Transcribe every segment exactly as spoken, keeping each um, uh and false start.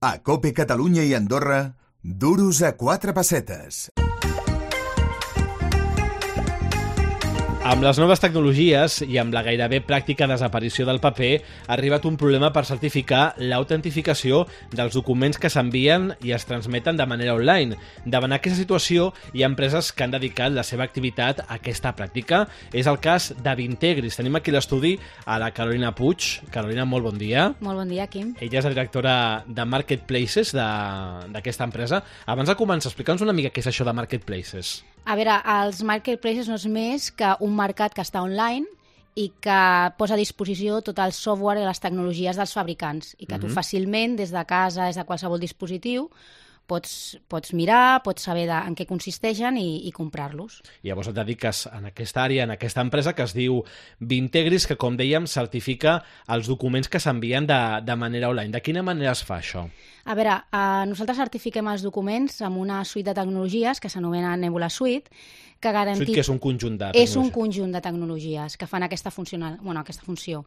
A COPE Catalunya i Andorra, duros a quatre pessetes. Amb les noves tecnologies i amb la gairebé pràctica desaparició del paper, ha arribat un problema per certificar l'autentificació dels documents que s'envien i es transmeten de manera online. Davant aquesta situació, hi ha empreses que han dedicat la seva activitat a aquesta pràctica. És el cas de Vintegris. Tenim aquí a l'estudi a la Carolina Puig. Carolina, molt bon dia. Molt bon dia, Quim. Ella és la directora de Marketplaces d'aquesta empresa. Abans de començar, explica'ns una mica què és això de Marketplaces. A veure, els marketplaces no és més que un mercat que està online i que posa a disposició tot el software i les tecnologies dels fabricants i que mm-hmm. tu fàcilment, des de casa, des de qualsevol dispositiu, pots, pots mirar, pots saber de, en què consisteixen i, i comprar-los. I llavors et dediques en aquesta àrea, en aquesta empresa que es diu Vintegris, que, com dèiem, certifica els documents que s'envien de, de manera online. De quina manera es fa això? A veure, eh, nosaltres certifiquem els documents amb una suite de tecnologies que s'anomena Nebula Suite, que garantit... Suite que és un conjunt de tecnologies. És un conjunt de tecnologies que fan aquesta, funcional... bueno, aquesta funció.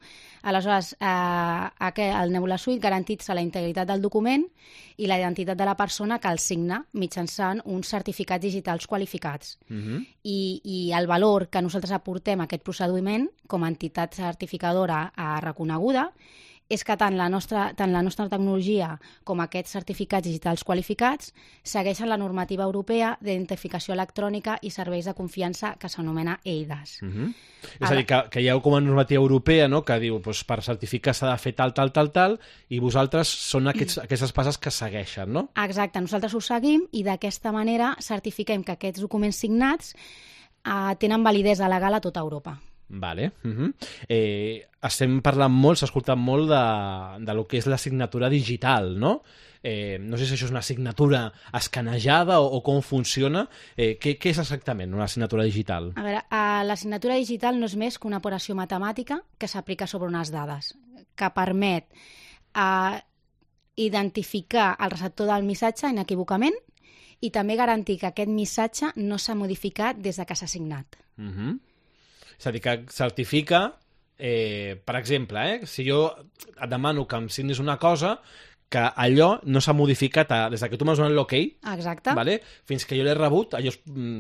Aleshores, eh, el Nebula Suite garantitza la integritat del document i la identitat de la persona que el signa mitjançant uns certificats digitals qualificats. Uh-huh. I, I el valor que nosaltres aportem a aquest procediment com a entitat certificadora eh, reconeguda és que tant la, nostra, tant la nostra tecnologia com aquests certificats digitals qualificats segueixen la normativa europea d'identificació electrònica i serveis de confiança que s'anomena E I D A S. Uh-huh. És a dir, que, que hi ha com a normativa europea, no?, que diu doncs, per certificar s'ha de fer tal, tal, tal, tal, i vosaltres són aquests, aquestes passes que segueixen, no? Exacte, nosaltres ho seguim i d'aquesta manera certifiquem que aquests documents signats eh, tenen validesa legal a tota Europa. Vale. Uh-huh. eh, estem parlant molt, s'ha escoltat molt de, de lo que és la signatura digital, no? Eh, no sé si això és una signatura escanejada o, o com funciona. Eh, què, què és exactament una signatura digital? A veure, eh, la signatura digital no és més que una operació matemàtica que s'aplica sobre unes dades, que permet eh, identificar el receptor del missatge inequívocament i també garantir que aquest missatge no s'ha modificat des de que s'ha signat. Uh-huh. És a dir, que certifica, eh, per exemple, eh, si jo et demano que em signis una cosa, que allò no s'ha modificat a, des que tu m'has donat l'ok, exacte, vale? Fins que jo l'he rebut, allò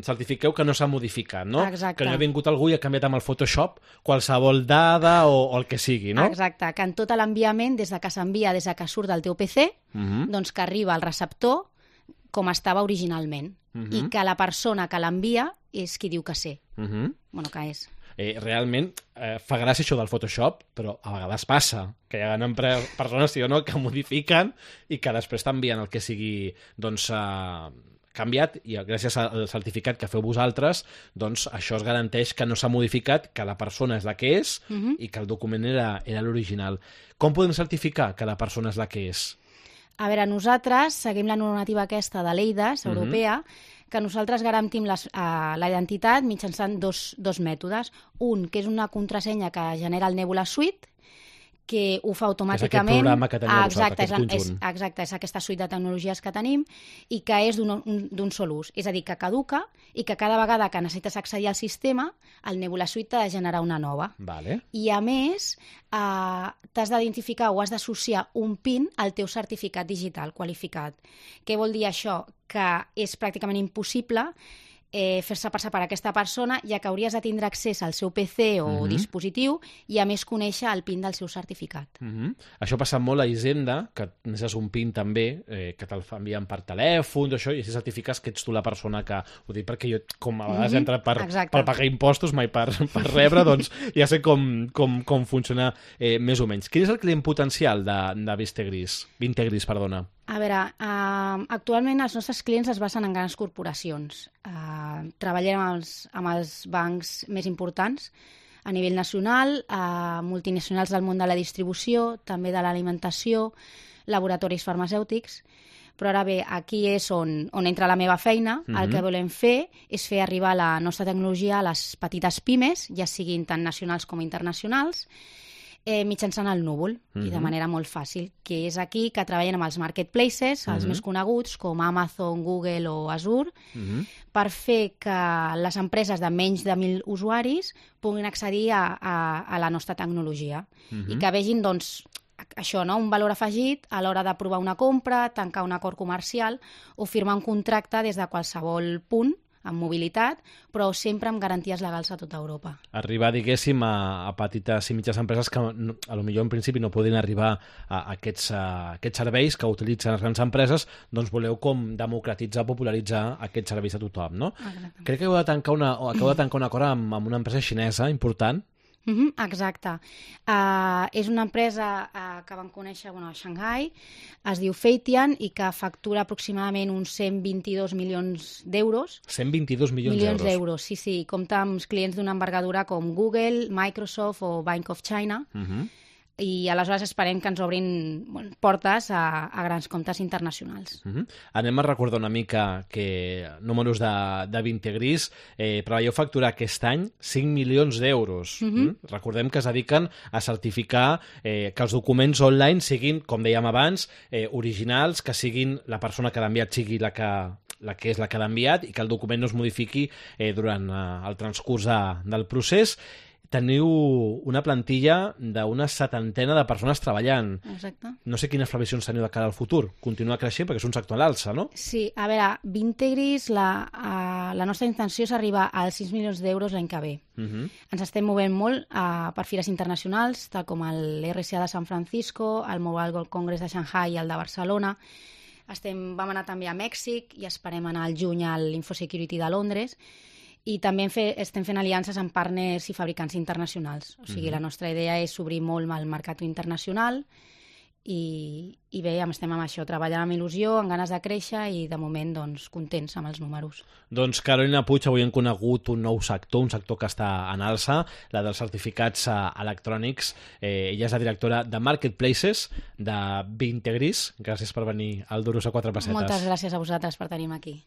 certifiqueu que no s'ha modificat, no? Exacte. Que no ha vingut algú i ha canviat amb el Photoshop qualsevol dada o, o el que sigui, no? Exacte, que en tot l'enviament, des de que s'envia, des de que surt del teu P C, uh-huh. doncs que arriba al receptor com estava originalment, uh-huh. i que la persona que l'envia és qui diu que sé. Uh-huh. Bueno, que és... Eh, realment eh, fa gràcia això del Photoshop, però a vegades passa que hi ha persones, sí o no, que modifiquen i que després t'envien el que sigui doncs, eh, canviat, i gràcies al certificat que feu vosaltres, doncs això es garanteix que no s'ha modificat, que la persona és la que és, uh-huh. i que el document era, era l'original. Com podem certificar que la persona és la que és? A veure, nosaltres seguim la normativa aquesta de l'E I D A S europea, uh-huh. que nosaltres garantim les, uh, la identitat mitjançant dos, dos mètodes. Un, que és una contrasenya que genera el Nebula Suite, que ho fa automàticament. És aquest programa que teniu vosaltres, aquest conjunt. És, exacte, és aquesta suite de tecnologies que tenim i que és d'un sol ús. És a dir, que caduca i que cada vegada que necessites accedir al sistema, el Nebula Suite t'ha de generar una nova. Vale. I a més, eh, t'has d'identificar o has d'associar un PIN al teu certificat digital qualificat. Què vol dir això? Que és pràcticament impossible eh, fer-se passar per aquesta persona, ja que hauries de tindre accés al seu P C o uh-huh. dispositiu i a més conèixer el PIN del seu certificat. Uh-huh. Això passa molt a Hisenda, que necessites un PIN també, eh, que te'l envien per telèfon, això, i si certifiques que ets tu la persona que... Ho dic perquè jo, com a vegades uh-huh. he entrat per, per pagar impostos, mai per, per rebre, doncs ja sé com, com, com funciona eh, més o menys. Quin és el client potencial de, de Vintegris? Vintegris, perdona. A veure, uh, actualment els nostres clients es basen en grans corporacions. Uh, treballem amb els, amb els bancs més importants a nivell nacional, uh, multinacionals del món de la distribució, també de l'alimentació, laboratoris farmacèutics. Però ara bé, aquí és on, on entra la meva feina. Uh-huh. El que volem fer és fer arribar la nostra tecnologia a les petites pimes, ja siguin tant nacionals com internacionals, eh, mitjançant el núvol, uh-huh. i de manera molt fàcil, que és aquí que treballen amb els marketplaces, els uh-huh. més coneguts, com Amazon, Google o Azure, uh-huh. per fer que les empreses de menys de mil usuaris puguin accedir a, a, a la nostra tecnologia, uh-huh. i que vegin, doncs, això, no? Un valor afegit a l'hora d'aprovar una compra, tancar un acord comercial o firmar un contracte des de qualsevol punt amb mobilitat, però sempre amb garanties legals a tota Europa. Arribar, diguéssim, a, a petites i mitges empreses que no, a lo millor en principi no poden arribar a, a, aquests, a aquests serveis que utilitzen les grans empreses, doncs voleu com democratitzar, popularitzar aquests serveis a tothom, no? Exactament. Crec que heu de tancar una, o acabeu de tancar un acord amb, amb una empresa xinesa important. Mm-hmm, exacte. Uh, és una empresa uh, que vam conèixer bueno, a Shanghai, es diu Feitian i que factura aproximadament uns cent vint-i-dos milions d'euros. cent vint-i-dos milions, milions d'euros. d'euros, sí, sí. Compta amb clients d'una envergadura com Google, Microsoft o Bank of China. Uh-huh. I aleshores esperem que ens obrin bueno, portes a, a grans comptes internacionals. Uh-huh. Anem a recordar una mica que números de, de Vintegris, eh, preveieu facturar aquest any cinc milions d'euros. Uh-huh. Mm? Recordem que es dediquen a certificar eh, que els documents online siguin, com dèiem abans, eh, originals, que siguin la persona que l'ha enviat sigui la que, la que és la que l'ha enviat i que el document no es modifiqui eh, durant eh, el transcurs de, del procés. Teniu una plantilla d'una setantena de persones treballant. Exacte. No sé quines previsions teniu de cara al futur. Continua creixent perquè és un sector a l'alça, no? Sí, a veure, Vintegris, la, uh, la nostra intenció és arribar als sis milions d'euros l'any que ve. Uh-huh. Ens estem movent molt uh, per fires internacionals, tal com l'R C A de San Francisco, el Mobile World Congress de Shanghai i el de Barcelona. Estem, vam anar també a Mèxic i esperem anar al juny a l'Infosecurity de Londres. I també fe, estem fent aliances amb partners i fabricants internacionals. O sigui, mm-hmm. la nostra idea és obrir molt el mercat internacional i, i bé, estem amb això, treballant amb il·lusió, amb ganes de créixer i de moment doncs, contents amb els números. Doncs Carolina Puig, avui hem conegut un nou sector, un sector que està en alça, la dels certificats electrònics. Eh, ella és la directora de Marketplaces de Vintegris. Gràcies per venir al Duros a quatre pessetes. Moltes gràcies a vosaltres per tenir-me aquí.